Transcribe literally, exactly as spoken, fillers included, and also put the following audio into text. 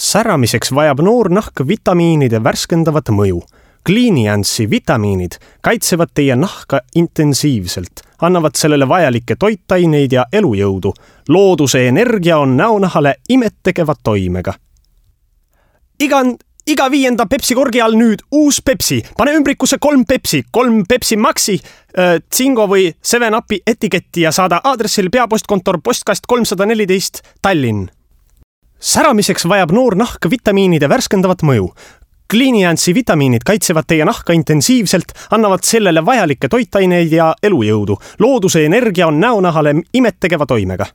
Säramiseks vajab noor nahk vitamiinide värskendavat mõju. Cliniance'i vitamiinid kaitsevad teie nahka intensiivselt, annavad sellele vajalikke toitaineid ja elujõudu. Looduse energia on näonahale imettegeva toimega. Iga, iga viienda Pepsi korgi all nüüd uus Pepsi. Pane ümbrikusse kolm Pepsi, kolm Pepsi Maxi, äh, Zingo või seven upi etiketti ja saada aadressil peapostkontor postkast kolmsada neliteist Tallinn. Säramiseks vajab noor nahk vitamiinide värskendavat mõju. Cliniance'i vitamiinid kaitsevad teie nahka intensiivselt, annavad sellele vajalikke toitaineid ja elujõudu. Looduse energia on näonahale imettegeva toimega.